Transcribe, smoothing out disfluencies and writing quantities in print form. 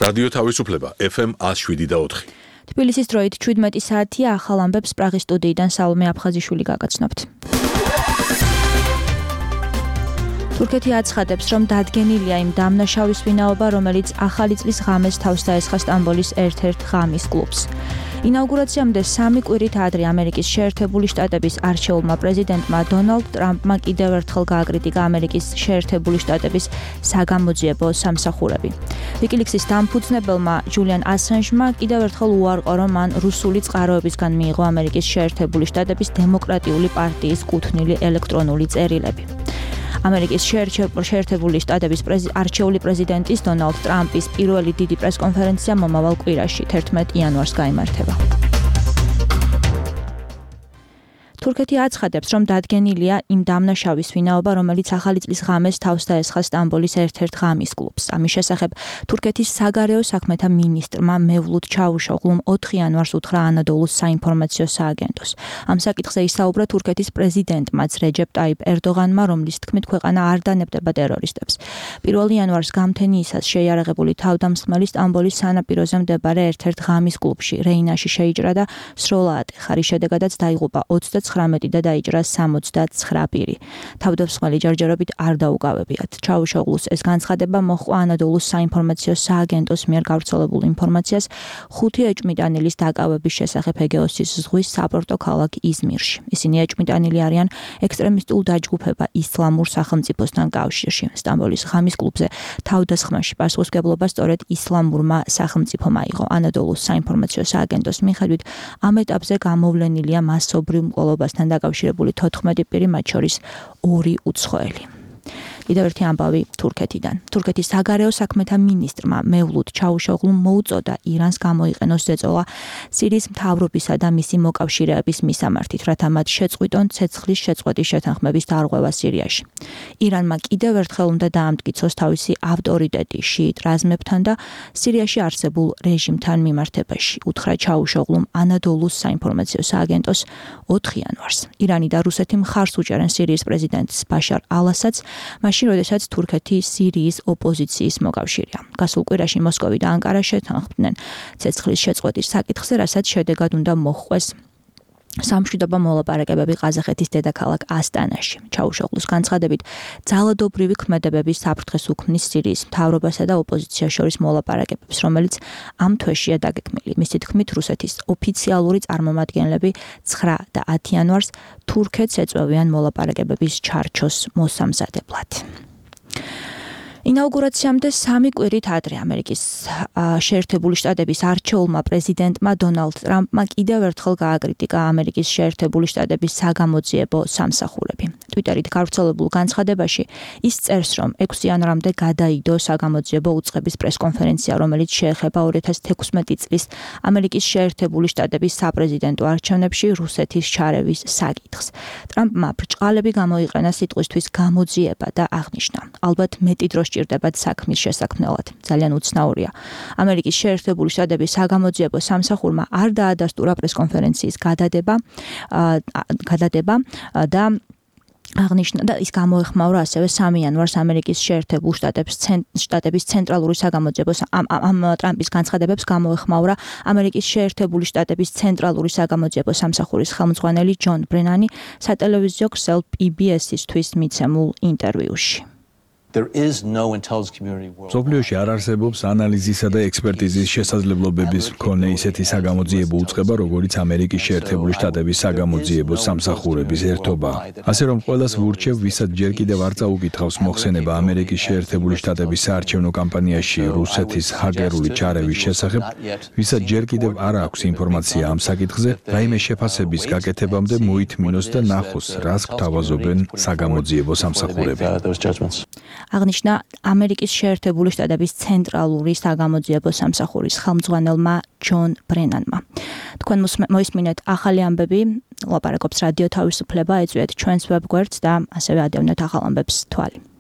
რადიო თავისუფლება FM 107.4. თბილისის დროით 17 საათია, ახალ ამბებს პრაღის სტუდიიდან სალომე აფხაზიშვილი გაგაცნობთ. თურქეთი აცხადებს, რომ დადგენილია იმ დამნაშავის ვინაობა, რომელიც ახალი წლის ღამეს თავს დაესხა სტამბოლის ერთ-ერთ ღამის კლუბს. ინაუგურაციამდე 3 კვირით ადრე ამერიკის შეერთებული შტატების არჩეულმა პრეზიდენტმა დონალდ ტრამპმა კიდევ ერთხელ გააკრიტიკა ამერიკის შეერთებული შტატების საგამოძიებო სამსახურები. ვიკილიქსის დამფუძნებელმა ჯულიან ასანჟმა კიდევ ერთხელ უარყო, რომ მან რუსული წყაროებისგან მიიღო ამერიკის შეერთებული შტატების დემოკრატიული პარტიის კუთვნილი ელექტრონული წერილები. ამერიკის შეერთებული შტატების არჩეული პრეზიდენტის დონალდ ტრამპის პირველი დიდი პრესკონფერენცია მომავალ კვირაში 11 იანვარს გაიმართება. თურქეთი აცხადებს, რომ დადგენილია იმ დამნაშავის ვინაობა, რომელიც ახალი წლის ღამეს თავს დაესხა სტამბოლის ერთ-ერთ ღამის კლუბს. ამის შესახებ თურქეთის საგარეო საქმეთა მინისტრმა მევლუდ ჩავუშოღლუმ 4 იანვარს უთხრა ანადოლუს საინფორმაციო სააგენტოს. ამ საკითხზე ისაუბრა თურქეთის პრეზიდენტმაც რეჯეპ ტაიპ ერდოღანმა, რომლის თქმით ქვეყანა არ დანებდება ტერორისტებს. 1 იანვარს გამთენიისას შეიარაღებული თავდამსხმელი სტამბოლის სანაპიროზე მდებარე ერთ-ერთ ღამის კლუბში რეინაში შეიჭრა და სროლა ატეხა, რის შედეგადაც დაიღუპა 19 და დაიჭრა 69 პირი. თავდამსხმელი ჯერჯერობით არ დაუკავებიათ. ჩავუშოღლუს ეს განცხადება მოჰყვა ანადოლუს საინფორმაციო სააგენტოს მიერ გავრცელებულ ინფორმაციას 5 ეჭვმიტანილის დაკავების შესახებ ეგეოსის ზღვის საპორტო ქალაქ იზმირში. ისინი ეჭვმიტანილი არიან ექსტრემისტულ დაჯგუფება ისლამურ სახელმწიფოსთან კავშირში. სტამბოლის ღამის კლუბზე თავდასხმაში პასუხისმგებლობა სწორედ ისლამურმა სახელმწიფომ აიღო. ანადოლუს საინფორმაციო სააგენტოს მიხედვით ამ ეტაპზე გამოვლენილია მასობრივ მკვლელობასთან დაკავშირებული 14 პირი, მათ შორის 2 უცხოელი. კიდევ ერთი ამბავი თურქეთიდან. თურქეთის საგარეო საქმეთა მინისტრმა მევლუდ ჩავუშოღლუმ მოუწოდა ირანს გამოიყენოს ზეწოლა სირიის მთავრობისა და მისი მოკავშირეების მისამართით, რათა მათ შეწყვიტონ ცეცხლის შეწყვეტის შეთანხმების დარღვევა სირიაში. ირანმა კიდევ ერთხელ უნდა დაამტკიცოს თავისი ავტორიტეტი შიიტ რაზმებთან და სირიაში არსებულ რეჟიმთან მიმართებაში, უთხრა ჩავუშოღლუმ ანადოლუს საინფორმაციო სააგენტოს 4 იანვარს. ირანი და რუსეთი მხარს უჭერენ სირიის პრეზიდენტს ბაშარ ალ-ასადს, მაშინ, როდესაც თურქეთი სირიის ოპოზიციის მოკავშირეა. გასულ კვირაში მოსკოვი და ანკარა შეთანხმდნენ ცეცხლის შეწყვეტის საკითხზე, რასაც შედეგად უნდა მოჰყვეს სამშვიდობო მოლაპარაკებები ყაზახეთის დედაქალაქ ასტანაში. ჩავუშოღლუს განცხადებით, ძალადობრივი ქმედებების საფრთხეს უქმნის სირიის მთავრობასა და ოპოზიციას შორის მოლაპარაკებებს, რომელიც ამ თვეშია დაგეგმილი. მისი თქმით, რუსეთის ოფიციალური წარმომადგენლები 9 და 10 იანვარს თურქეთს ეწევიან მოლაპარაკებების ჩარჩოს მოსამზადებლად. ინაუგურაციამდე 3 კვირით ადრე ამერიკის შეერთებული შტატების არჩეულმა პრეზიდენტმა დონალდ ტრამპმა კიდევ ერთხელ გააკრიტიკა ამერიკის შეერთებული შტატების საგამოძიებო სამსახურები. ტვიტერით გავრცელებულ განცხადებაში ის წერს, რომ 6 იანვრამდე გადაიდო საგამოძიებო უწყების პრესკონფერენცია, რომელიც შეეხება 2016 წლის ამერიკის შეერთებული შტატების საპრეზიდენტო არჩევნებში რუსეთის ჩარევის საკითხს. ტრამპმა ბრჭყალები გამოიყენა სიტყვისთვის გამოძიება და აღნიშნა: ალბათ მეტი დრო ჭირდებათ საქმის შესაქმნელად. ძალიან უცნაურია. ამერიკის შეერთებული შტატების საგამოძიებო სამსახურმა არ დაადასტურა პრესკონფერენციის გადადება და აღნიშნა და ის გამოეხმაურა ასევე 3 იანვარს ამერიკის შეერთებულ შტატების ცენტრალური საგამოძიებო ამ ტრამპის განცხადებებს გამოეხმაურა ამერიკის შეერთებული შტატების ცენტრალური საგამოძიებო სამსახურის ხელმძღვანელი ჯონ ბრენანი სატელევიზიო ქსელ PBS-ისთვის მიცემულ ინტერვიუში. მსოფლიოში არ არსებობს ანალიზისა და ექსპერტიზის შესაძლებლობების მქონე ისეთი საგამოძიებო უწყება, როგორც ამერიკის შეერთებული შტატების საგამოძიებო სამსახურების ერთობა. ასე რომ ყველას ვურჩევ, ვისაც ჯერ კიდევ არ წაუკითხავს მოხსენება ამერიკის შეერთებული შტატების საარჩევნო კამპანიაში რუსეთის ჰაკერული ჩარევის შესახებ, ვისაც ჯერ კიდევ არ აქვს ინფორმაცია ამ საკითხზე, რაიმე შეფასების გაკეთებამდე მოითმინოს და ნახოს, რას გვთავაზობენ საგამოძიებო სამსახურები. აღნიშნა ამერიკის შეერთებული შტატების ცენტრალური საგამოძიებო სამსახურის ხელმძღვანელმა ჯონ ბრენანმა. თქვენ მოისმინეთ ახალი ამბები, ლაპარაკობს რადიო თავისუფლება, ეწვიეთ ჩვენს ვებგვერდს და ასევე ადევნეთ ახალ ამბებს თვალი.